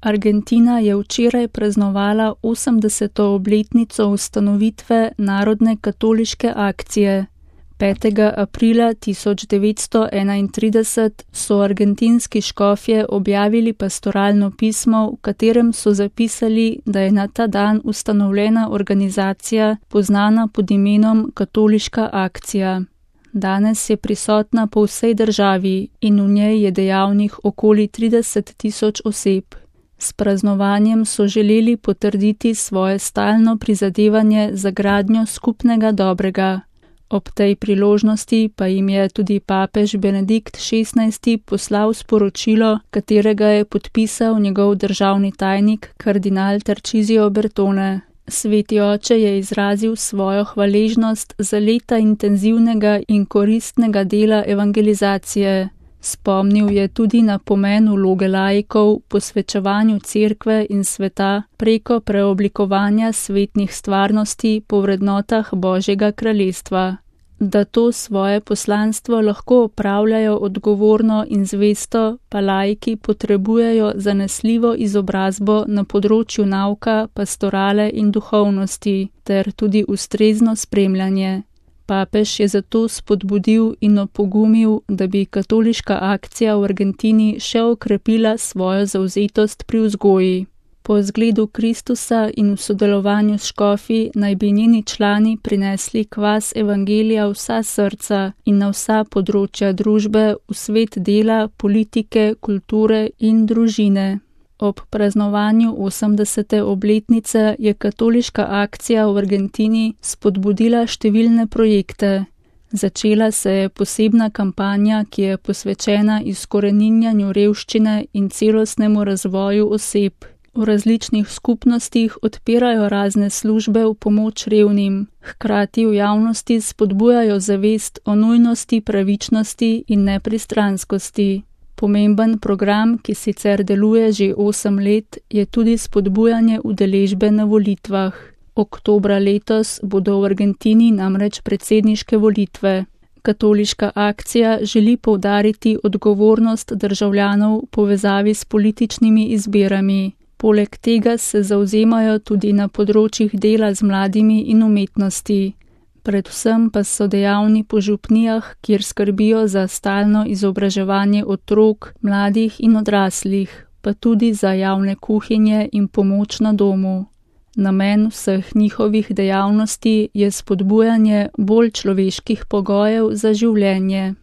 Argentina je včeraj praznovala 80. obletnico ustanovitve Narodne katoliške akcije. 5. aprila 1931 so argentinski škofje objavili pastoralno pismo, v katerem so zapisali, da je na ta dan ustanovljena organizacija, poznana pod imenom Katoliška akcija. Danes je prisotna po vsej državi in v njej je dejavnih okoli 30.000 oseb. S praznovanjem so želeli potrditi svoje stalno prizadevanje za gradnjo skupnega dobrega. Ob tej priložnosti pa jim je tudi papež Benedikt XVI. Poslal sporočilo, katerega je podpisal njegov državni tajnik kardinal Tarcisio Bertone. Sveti oče je izrazil svojo hvaležnost za leta intenzivnega in koristnega dela evangelizacije. Spomnil je tudi na pomen vloge laikov, posvečevanju cerkve in sveta preko preoblikovanja svetnih stvarnosti po vrednotah Božjega kraljestva. Da to svoje poslanstvo lahko opravljajo odgovorno in zvesto, pa laiki potrebujejo zanesljivo izobrazbo na področju nauka, pastorale in duhovnosti, ter tudi ustrezno spremljanje. Papež je zato spodbudil in opogumil, da bi katoliška akcija v Argentini še okrepila svojo zavzetost pri vzgoji. Po zgledu Kristusa in v sodelovanju s škofi naj bi njeni člani prinesli kvas evangelija vsa srca in na vsa področja družbe, v svet dela, politike, kulture in družine. Ob praznovanju 80. obletnice je katoliška akcija v Argentini spodbudila številne projekte. Začela se je posebna kampanja, ki je posvečena izkoreninjanju revščine in celostnemu razvoju oseb. V različnih skupnostih odpirajo razne službe v pomoč revnim, hkrati v javnosti spodbujajo zavest o nujnosti pravičnosti in nepristranskosti. Pomemben program, ki sicer deluje že 8 let, je tudi spodbujanje udeležbe na volitvah. Oktobra letos bodo v Argentini namreč predsedniške volitve. Katoliška akcija želi poudariti odgovornost državljanov v povezavi s političnimi izbirami. Poleg tega se zavzemajo tudi na področjih dela z mladimi in umetnosti. Predvsem pa so dejavni po župnijah, kjer skrbijo za stalno izobraževanje otrok, mladih in odraslih, pa tudi za javne kuhinje in pomoč na domu. Namen vseh njihovih dejavnosti je spodbujanje bolj človeških pogojev za življenje.